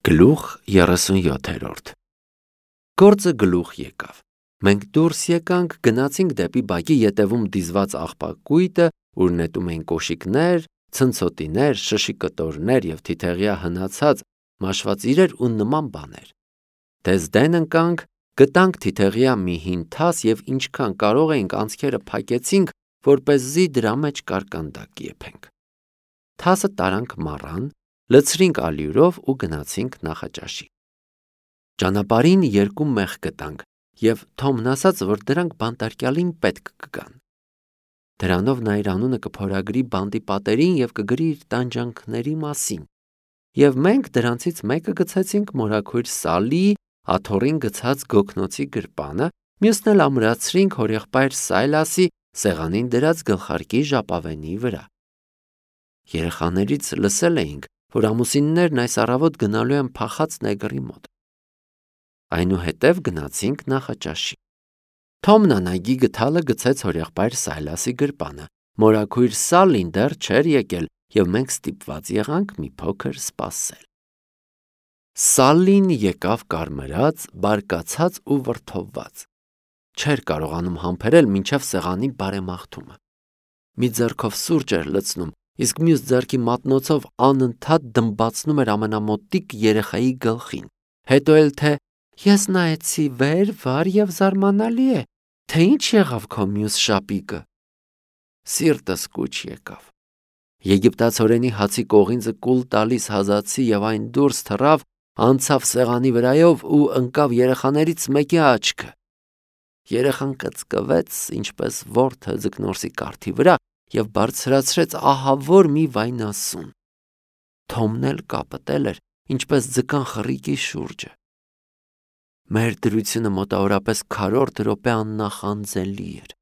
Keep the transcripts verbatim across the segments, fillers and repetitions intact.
Գլուխ երեսունյոթերորդ Գործը գլուխ եկավ։ Մենք դուրս եկանք, գնացինք դեպի բակի ետևում դիզված աղբակույտը, ուր նետում էին կոշիկներ, ցնցոտիներ, շշիկտորներ և թիթեղյա հնացած մաշված իրեր ու նման բաներ։ Դες դեն ընկանք, գտանք թիթեղյա մի հին թաս և ինչքան կարող էինք անցքերը փակեցինք, որպեսզի դրա մեջ կարկանդակ եփենք։ Թասը տարանք մառան, լցրինք ալյուրով ու գնացինք Նախաճաշի։ Ճանապարհին երկու մեղ գտանք և Թոմն ասաց, որ դրանք բանտարկյալին պետք կգան։ Դրանով նա իր անունը կփորագրի բանտի պատերին և կգրի իր տանջանքների մասին։ Եվ մենք դրանցից մեկը գցեցինք մորաքույր Սալլիի աթոռին գցած գոգնոցի գրպանը, մյուսն էլ ամրացրինք հորեղբայր Սայլասի սեղանին դրած գլխարկի ժապավենի վրա։ Երեխաներից լսել էինք, որ ամուսիններն այս առավոտ գնալու են փախած նեգրի մոտ։ Այնուհետև գնացինք Նախաճաշի։ Թոմն անայգի գդալը գցեց հորեղբայր Սայլասի գրպանը, մորաքույր Սալլին դեռ չէր եկել, և մենք ստիպված եղանք մի փոքր սպասել։ Սալլին եկավ կարմրած, բարկացած ու վրդովված։ Չէր կարողանում համբերել մինչև սեղանի բարեմաղթումը։ Մի ձեռքով սուրճ էր լցնում, իսկ մյուս ձեռքի մատնոցով անընդհատ դմբացնում էր ամենամոտիկ երեխայի գլխին։ Հետո էլ թե «Ես նայեցի վեր, վար և զարմանալի է, թե ինչ եղավ քո մյուս շապիկը»։ Սիրտս կուչ եկավ։ Եգիպտացորենի հացի կողինձը կուլ տալիս հազացի և այն դուրս թռավ, անցավ սեղանի վրայով ու ընկավ երեխաներից մեկի աչքը։ Երեխան կծկվեց, ինչպես որդը ձկնորսի կարթի վրա և բարձրացրեց ահավոր մի վայնասուն։ Թոմն էլ կապտել էր, ինչպես ձկան խռիկի շուրջը։ Մեր դրությունը մոտավորապես քառորդ րոպե աննախանձելի էր։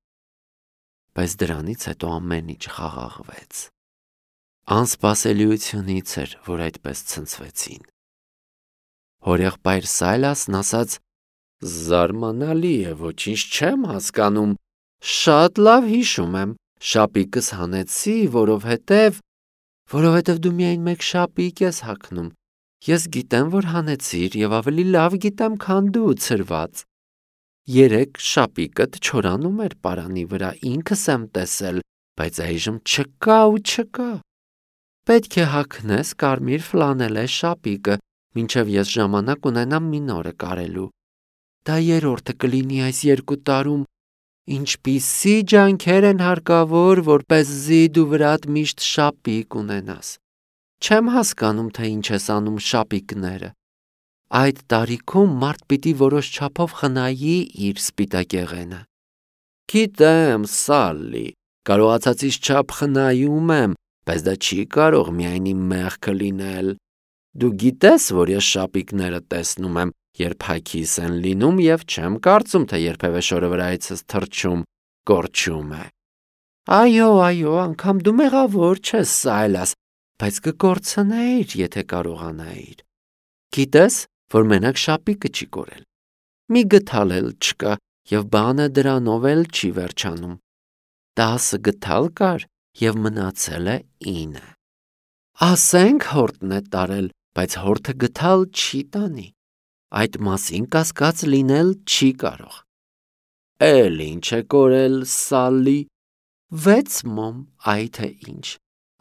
Բայց դրանից հետո ամեն ինչ խաղաղվեց։ Անսպասելիությունից էր, որ այդպես ցնցվեցին։ Հորեղբայր Սայլասն ասաց. «Զարմանալի է, ոչինչ չեմ հասկանում։ Շատ լավ հիշում եմ, շապիկս հանեցի, որովհետև… որովհետև դու միայն մեկ շապիկ ես հագնում։ Ես գիտեմ, որ հանեցիր և ավելի լավ գիտեմ, քան դու, ցրված։ Երեկ շապիկդ չորանում էր պարանի վրա, ինքս եմ տեսել, բայց այժմ չկա ու չկա։ Պետք է հագնես կարմիր ֆլանելե շապիկը, մինչև ես ժամանակ ունենամ մի նորը կարելու։ Դա երրորդը կլինի այս երկու տարում։ Ինչպիսի ջանքեր են հարկավոր, որպեսզի դու վրատ միշտ շապիկ ունենաս։ Չեմ հասկանում, թե ինչ ես անում շապիկները։ Այդ տարիքում մարդ պիտի որոշ չափով խնայի իր սպիտակեղենը։ Գիտեմ, Սալլի, կարողացածից չափ խնայում եմ, բայց դա չի կարող միայն իմ մեղքը լինել։ Դու գիտես, որ ես շապիկները տեսնում եմ, երբ հագիս են լինում, և չեմ կարծում, թե երբևէ շորը վրայիցս թռչում, կորչում է։ Այո, այո, անգամ դու մեղավոր չես, Սայլաս, բայց կկորցնեիր, եթե կարողանայիր։ Գիտես, որ մենակ շապիկը չի կորել։ Մի գդալ էլ չկա, և բանը դրանով էլ չի վերջանում։ Տասը գդալ կար, և մնացել է ինը։ Ասենք հորտն է տարել, բայց հորտը գդալ չի տանի։ Այդ մասին կասկած լինել չի կարող։ Էլ ինչ է կորել, Սալլի։ Վեց մոմ, այ թե ինչ։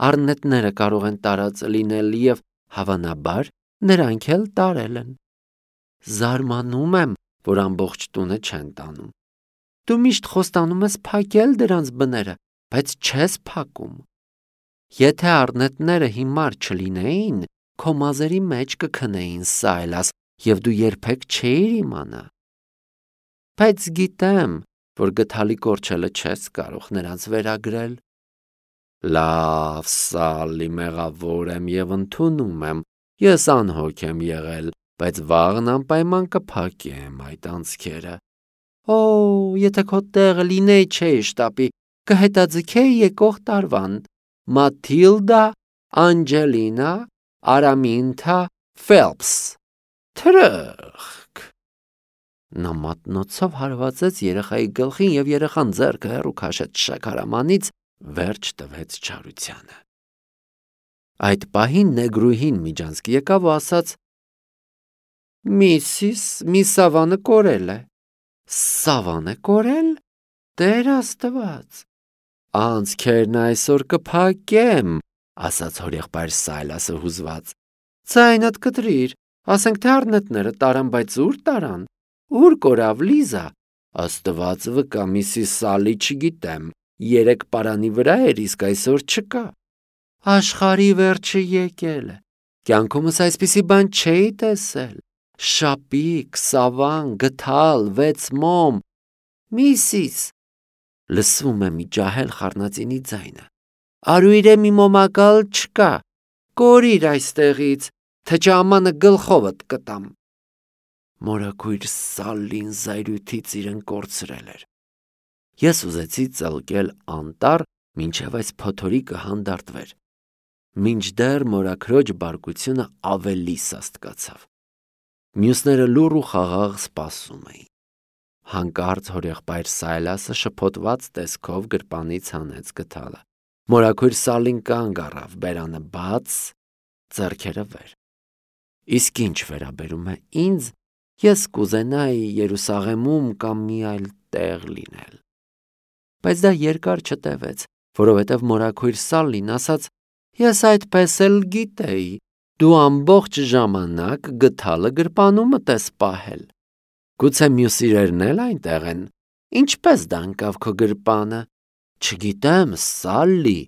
Առնետները կարող են տարած լինել և, հավանաբար, նրանք էլ տարել են։ Զարմանում եմ, որ ամբողջ տունը չեն տանում։ Դու միշտ խոստանում ես փակել դրանց բները, բայց չես փակում։ Եթե առնետները հիմար չլինեին, քո մազերի մեջ կքնեին, Սայլաս, և դու երբեք չէիր իմանա։ Բայց գիտեմ, որ գդալի կորչելը չես կարող նրանց վերագրել։ Լավ, Սալլի, մեղավոր եմ և ընդունում եմ, ես անհոգ եմ եղել, բայց վաղն անպայման կփակեմ այդ անցքերը։ Օ, եթե քո տեղը լինեի, չէի շտապի, կհետաձգեի եկող տարվան. Մաթիլդա Անջելինա Արամինթա Ֆելփս։ Թրըխկ։ Նա մատնոցով հարվածեց երեխայի գլխին, և երեխան ձեռքը հեռու քաշեց շաքարամանից, վերջ տվեց չարությանը։ Այդ պահին նեգրուհին միջանցք եկավ ու ասաց. Միսիս մի սավանը կորել է։ Սավան է կորել։ Տեր Աստված։ Անցքերն այսօր կփակեմ, ասաց հորեղբայր Սայլասը հուզված։ Ձայնդ կտրիր, ասենք թե առնետները տարան, բայց ուր տարան։ Ուր կորավ Լիզա։ Աստված վկա, միսիս Սալի չգիտեմ, երեք պարանի վրա էր, իսկ այսօր չկա։ Աշխարհի վերջը եկել է։ Կյանքումս այսպիսի բան չէի տեսել։ Շապիկ, սավան, գթալ, վեց մոմ։ Միսիս, լսվում է մի ջահել խառնածինի ձայնը։ Արույրե մի մոմակալ չկա։ Կորիր այստեղից, թե ճամանը գլխովդ կտամ։ Մորաքույր Սալին զայրույթից իրեն կորցրել էր։ Ես ուզեցի ծլկել անտառ, մինչև այս փոթորիկը հանդարտվեր։ Մինչդեռ մորաքրոջ բարկությունը ավելի սաստկացավ։ Մյուսները լուռ ու խաղաղ սպասում էին։ Հանկարծ հորեղբայր Սայլասը շփոթված տեսքով գրպանից հանեց գթալը։ Մորաքույր Սալին կանգ առավ, բերանը բաց, ձեռքերը վեր։ Իսկ ինչ վերաբերում է ինձ, ես կուզենայի Երուսաղեմում կամ մի այլ տեղ լինել։ Բայց դա երկար չտևեց, որովհետև մորաքույր Սալին ասաց. Ես այդպես էլ գիտեի, դու ամբողջ ժամանակ գթալը գրպանումդ ես պահել։ Գուցե մյուս իրերն էլ այնտեղ են։ Ինչպես դա ընկավ քո գրպանը։ Չգիտեմ, Սալլի,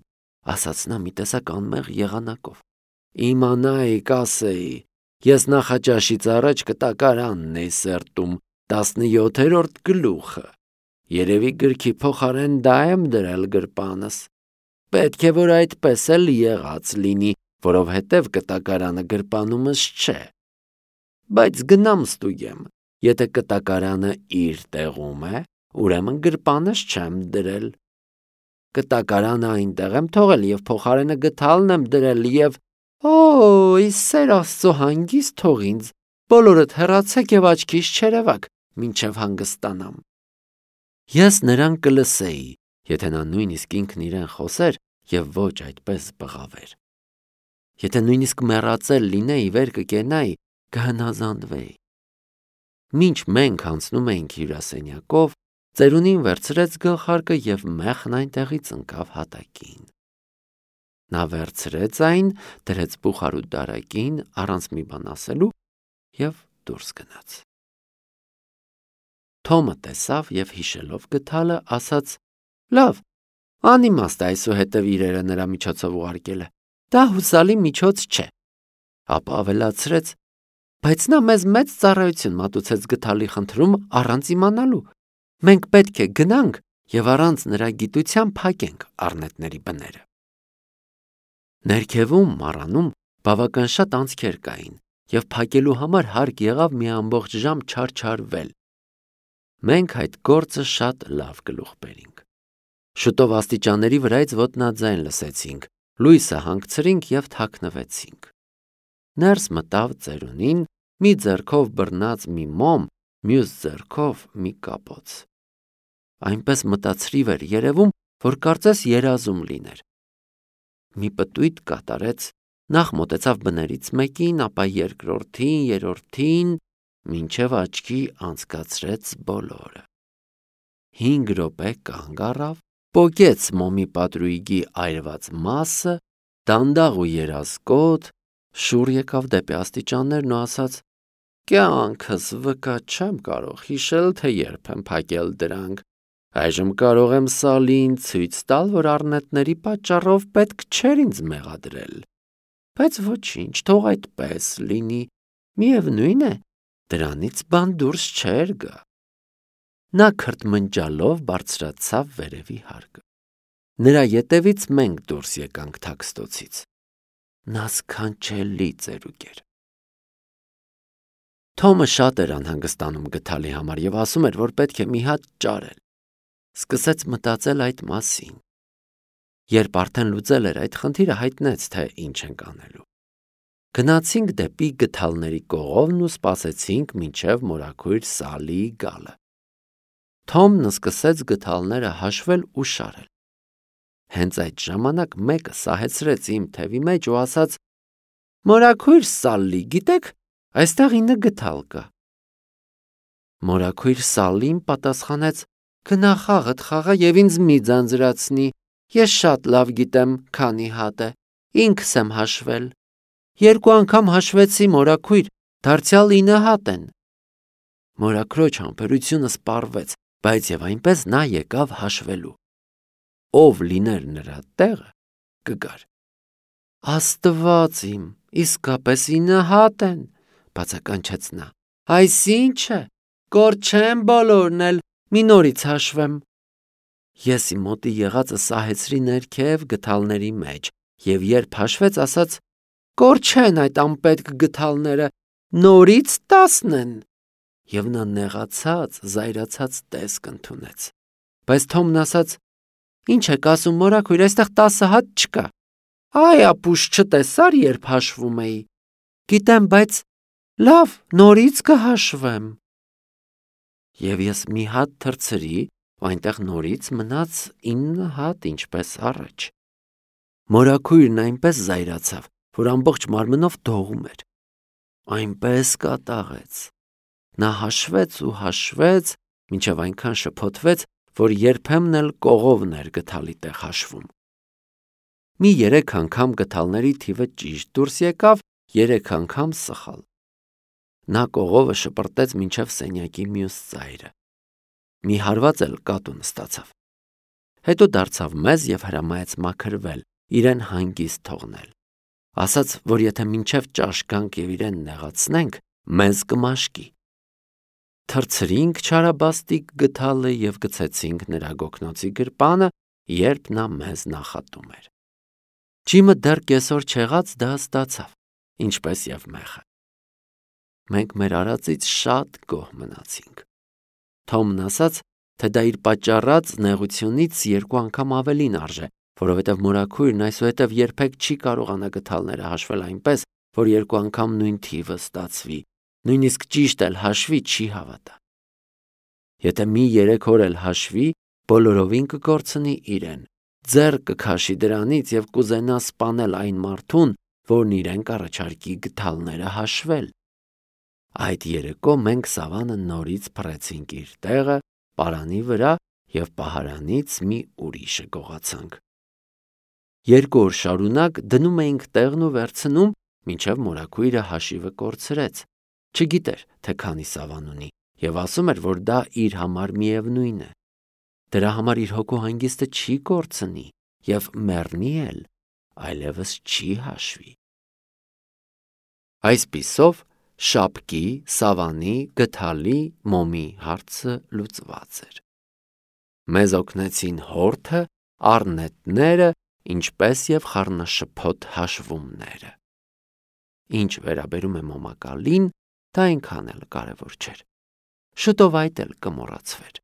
ասաց նա մի տեսակ անմեղ եղանակով։ Իմանայի կասեի, ես նախաճաշից առաջ կտակարանն էի սերտում, տասնյոթերորդ գլուխը։ Երևի գրքի փոխարեն դա եմ դրել գրպանս։ Պետք է որ այդպես էլ եղած լինի, որովհետև կտակարանը գրպանումս չէ։ Բայց գնամ ստուգեմ, եթե կտակարանը իր տեղում է, ուրեմն գրպանս չեմ դրել։ Կտակարանը այնտեղ եմ թողել և փոխարենը գթալն եմ դրել և Օ՜, Սեր Աստծո հանգիստ թող ինձ, բոլորդ հեռացեք և աչքիս չերևաք, մինչև հանգստանամ։ Ես նրան կլսեի, եթե նա նույնիսկ ինքն իրեն խոսեր և ոչ այդպես բղավեր։ Եթե նույնիսկ մեռածել լինեի, վեր կկենայի, կհնազանդվեի։ Մինչ մենք անցնում էինք հյուրասենյակով, ծերունին վերցրեց գլխարկը և մեխն այնտեղից ընկավ հատակին։ Նա վերցրեց այն, դրեց բուխարու դարակին, առանց մի բան ասելու և դուրս գնաց։ Թոմը տեսավ և հիշելով գթալը, ասաց. Լավ, անիմաստ է այսուհետև իրերը նրա միջոցով ուղարկել է։ Դա հուսալի միջոց չէ։ Ապա ավելացրեց. բայց նա մեզ մեծ ծառայություն մատուցեց գթալի խնդրում առանց իմանալու։ Մենք պետք է գնանք և առանց նրա գիտության փակենք առնետների բները։ Ներքևում մառանում բավական շատ անցքեր կային, և փակելու համար հարկ եղավ մի ամբողջ ժամ չարչարվել։ Մենք այդ գործը շատ լավ գլուխ բերինք։ Շուտով աստիճանների վրայից ոտնաձայն լսեցինք, լույսը հանգցրինք և թաքնվեցինք։ Ներս մտավ ծերունին, մի ձեռքով բռնած մի մոմ, մյուս ձեռքով մի կապոց։ Այնպես մտածրիվ էր երևում, որ կարծես երազում լիներ։ Մի պտույտ կատարեց, նախ մոտեցավ բներից մեկին, ապա երկրորդին, երրորդին, մինչև աչքի անցկացրեց բոլորը։ Հինգ րոպե կանգ առավ, պոկեց մոմի պատրույգի այրված մասը, դանդաղ ու երազկոտ, շուռ եկավ դեպի աստիճաններն ու ասաց. Կյանքս վկա չեմ կարող հիշել, թե երբ եմ փակել դրանք։ Այժմ կարող եմ Սալին ցույց տալ, որ առնետների պատճառով պետք չէր ինձ մեղադրել։ Բայց ոչինչ, թող այդպես լինի, միևնույն է, դրանից բան դուրս չէր գա։ Նա քրթմնջալով բարձրացավ վերևի հարկը։ Նրա ետևից մենք դուրս եկանք թաքստոցից։ Նա սքանչելի ծերուկ էր։ Թոմը շատ էր անհանգստանում գթալի համար և ասում էր, որ պետք է մի հատ ճարել։ Սկսեց մտածել այդ մասին։ Երբ արդեն լուծել էր այդ խնդիրը, հայտնեց, թե ինչ ենք անելու։ Գնացինք դեպի գթալների կողովն ու սպասեցինք, մինչև մորաքույր Սալիի գալը։ Թոմն սկսեց գթալները հաշվել ու շարել։ Հենց այդ ժամանակ մեկը սահեցրեց իմ թևի մեջ ու ասաց. Մորաքույր Սալլի, գիտեք, Այստեղ ինը գդալ կա։ Մորաքույր Սալին պատասխանեց. Գնա խաղդ խաղա եւ ինձ մի ձանձրացնի, ես շատ լավ գիտեմ քանի հատ է, ինքս եմ հաշվել։ Երկու անգամ հաշվեցի, մորաքույր, դարձյալ ինը հատ են։ Մորաքրոջ համբերությունը սպառվեց, բայց եւ այնպես նա եկավ հաշվելու։ Ով լիներ նրա տեղը, կգար։ Աստված իմ, իսկապես ինը հատ են, բացականչեց նա։ Այսինչ է, կոր չեմ բոլորն էլ, մի նորից հաշվեմ։ Ես իմ մոտի եղածը սահեցրի ներքև գդալների մեջ եւ երբ հաշվեց, ասաց. Կոր չեն այդ անպետք գդալները, նորից տասն են։ Եվ նա նեղացած, զայրացած տեսք ընդունեց։ Բայց Թոմն ասաց. Ինչ եք ասում, մորաքույր, այստեղ տասը հատ չկա։ Այ ապուշ չտեսար, երբ հաշվում էի։ Գիտեմ, բայց լավ, նորից կհաշվեմ։ Եվ ես մի հատ թռցրի, այնտեղ նորից մնաց ինը հատ, ինչպես առաջ։ Մորաքույրն այնպես զայրացավ, որ ամբողջ մարմնով դողում էր։ Այնպես կատաղեց։ Նա հաշվեց ու հաշվեց, մինչև այնքան շփոթվեց, որ երբեմն էլ կողովն էր գդալի տեղ հաշվում։ Մի երեք անգամ գդալների թիվը ճիշտ դուրս եկավ, երեք անգամ սխալ։ Նա կողովը շպրտեց մինչև սենյակի մյուս ծայրը։ Մի հարված էլ կատուն ստացավ։ Հետո դարձավ մեզ եւ հրամայեց մաքրվել, իրեն հանգիստ թողնել։ Ասաց, որ եթե մինչև ճաշ գանք եւ իրեն նեղացնենք, մեզ կմաշկի։ Թռցրինք չարաբաստիկ գդալը եւ գցեցինք նրա գոգնոցի գրպանը, երբ նա մեզ նախատում էր։ Ջիմը դեռ կեսօր չեղած դա ստացավ, ինչպես եւ մեղը։ Մենք մեր արածից շատ գոհ մնացինք։ Թոմն ասաց, թե դա իր պատճառած նեղությունից երկու անգամ ավելին արժե, որովհետև մորաքույրն այսուհետև երբեք չի կարողանա գդալները հաշվել այնպես, որ երկու անգամ նույն թիվը ստացվի, նույնիսկ ճիշտ էլ հաշվի չի հավատա։ Եթե մի երեք օր էլ հաշվի, բոլորովին կկորցնի իրեն, ձեռ կքաշի դրանից եւ կուզենա սպանել այն մարդուն, որն իրեն կառաջարկի գդալները հաշվել։ Այդ երեկո մենք Սավանը նորից փռեցինք իր տեղը պարանի վրա եւ պահարանից մի ուրիշը գողացանք։ Երկու օր շարունակ դնում էինք տեղն ու վերցնում, մինչև մորաքույրը հաշիվը կորցրեց, չգիտեր, թե քանի Սավան ունի, եւ ասում էր, որ դա իր համար միևնույն է։ Դրա համար իր հոգու հանգիստը չի կորցնի եւ մեռնի էլ, այլևս չի հաշվի։ Այսպիսով Շապկի, Սավանի, գդալի, մոմի հարցը լուծված էր։ Մեզ օգնեցին հորթը, առնետները, ինչպես եւ խառնաշփոթ հաշվումները։ Ինչ վերաբերում է մոմակալին, դա այնքան էլ կարևոր չէր։ Շուտով այդ էլ կմոռացվեր։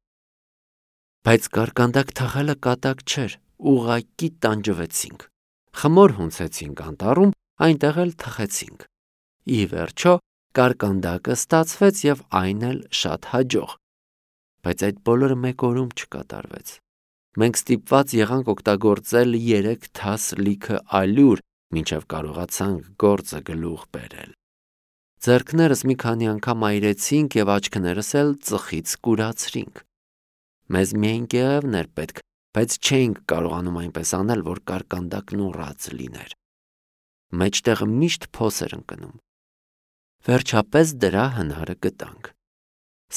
Բայց կարկանդակ թխելը կատակ չէր, ուղղակի տանջվեցինք։ Խմոր հունցեցինք անտառում, այնտեղ էլ թխեցինք։ Ի վերջո կարկանդակը ստացվեց եւ այն էլ շատ հաջող։ Բայց այդ բոլորը մեկ օրում չկատարվեց։ Մենք ստիպված եղանք օգտագործել երեք թաս լիքը ալյուր, մինչև կարողացանք գործը գլուխ բերել։ Ձեռքներս մի քանի անգամ այրեցինք եւ աչքներս էլ ծխից կուրացրինք։ Մեզ միայն կեղևն էր պետք, բայց չէինք կարողանում այնպես անել, որ կարկանդակն ուռած լիներ։ Մեջտեղը միշտ փոս էր ընկնում։ Վերջապես դրա հնարը գտանք։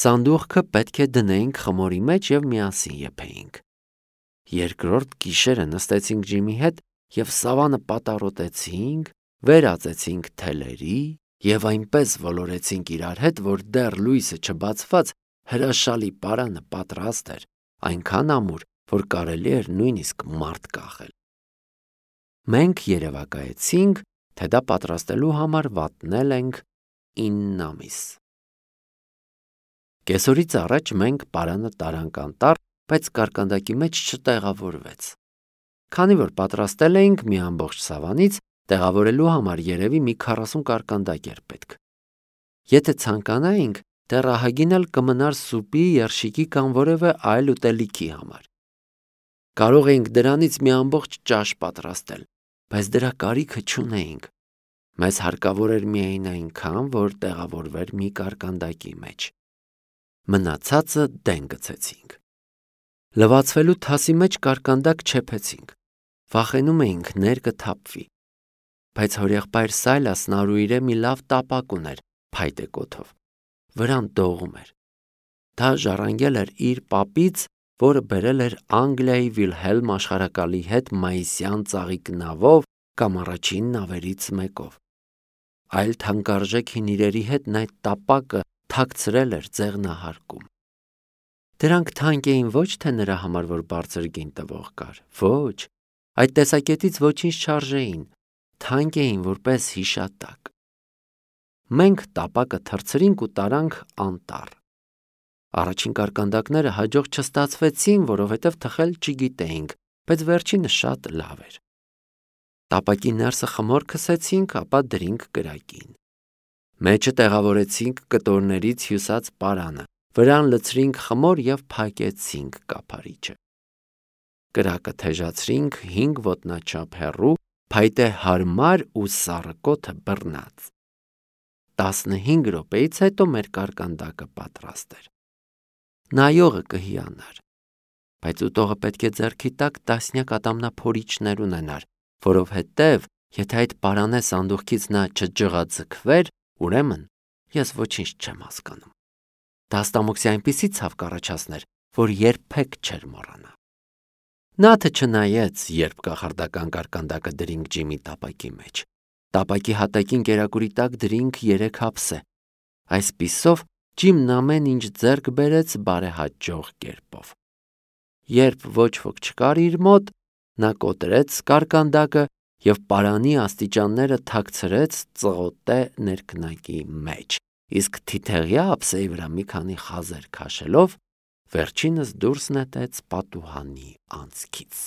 Սանդուղքը պետք է դնեինք խմորի մեջ եւ միասին եփեինք։ Երկրորդ գիշերը նստեցինք Ջիմի հետ եւ Սավանը պատառոտեցինք, վերածեցինք թելերի եւ այնպես ոլորեցինք իրար հետ, որ դեռ լույսը չբացված հրաշալի պարանը պատրաստ էր, այնքան ամուր, որ կարելի էր նույնիսկ մարդ կախել։ Մենք երևակայեցինք, թե դա պատրաստելու համար վատնել ենք ինը ամիս։ Կեսօրից առաջ մենք պարանը տարանք անտառ, բայց կարկանդակի մեջ չտեղավորվեց։ Քանի որ պատրաստել էինք մի ամբողջ Սավանից, տեղավորելու համար երևի մի քառասուն կարկանդակ էր պետք։ Եթե ցանկանայինք, դեռ ահագին էլ կմնար սուպի, երշիկի կամ որևէ այլ ուտելիքի համար։ Կարող էինք դրանից մի ամբողջ ճաշ պատրաստել, բայց դրա կարիքը չունեինք։ Մեզ հարկավոր էր միայն այնքան, որ տեղավորվեր մի կարկանդակի մեջ։ Մնացածը դեն գցեցինք։ Լվացվելու թասի մեջ կարկանդակ չեփեցինք։ Վախենում էինք ներկը թափվի։ Բայց հորեղբայր Սայլասն Արուիրե մի լավ տապակ ուներ փայտե կոթով։ Վրան դողում էր։ Դա ժառանգել էր իր պապից, որը բերել էր Անգլիայի Վիլհելմ աշխարհակալի հետ մայիսյան ծաղիկ նավով կամ առաջին նավերից մեկով։ Այլ թանկարժեք հին իրերի հետ նա այդ տապակը թաքցրել էր ձեղնահարկում։ Դրանք թանկ էին ոչ թե նրա համար, որ բարձր գին տվող կար, ոչ, այդ տեսակետից ոչինչ չարժեին, թանկ էին որպես հիշատակ։ Մենք տապակը թռցրինք ու տարանք անտառ։ Առաջին կարկանդակները հաջող չստացվեցին, որովհետև թխել չգիտեինք, բայց վերջինը շատ լավ էր։ Տապակի ներսը խմոր քսեցինք, ապա դրինք կրակին։ Մեջը տեղավորեցինք կտորներից հյուսած պարանը, վրան լցրինք խմոր և փակեցինք կափարիչը։ Կրակը թեժացրինք հինգ ոտնաչափ հեռու, փայտե հարմար ու սառը կոթը բռնած։ Տասնհինգ րոպեից հետո մեր կարկանդակը պատրաստ էր։ Նայողը կհիանար, բայց ուտողը պետք է ձեռքի տակ տասնյակ ատամնափորիչներ ունենար, որովհետև եթե այդ պարանե սանդուղքից նա չջղաձգվեր, ուրեմն ես ոչինչ չեմ հասկանում։ Դա ստամոքսի այնպիսի ցավ կառաջացներ, որ երբեք չէր մոռանա։ Նաթը չնայեց, երբ կախարդական կարկանդակը դրինք ջիմի տապակի մեջ։ Տապակի հատակին կերակուրի տակ դրինք երեք հապսե։ Այսպիսով ջիմն ամեն ինչ ձեռք բերեց բարեհաջող կերպով։ Երբ ոչ ոք չկար իր մոտ, նա կոտրեց կարկանդակը և պարանի աստիճանները թաքցրեց ծղոտե ներքնակի մեջ, իսկ թիթեղյա ափսեի վրա մի քանի խազեր քաշելով, վերջինս դուրս նետեց պատուհանի անցքից։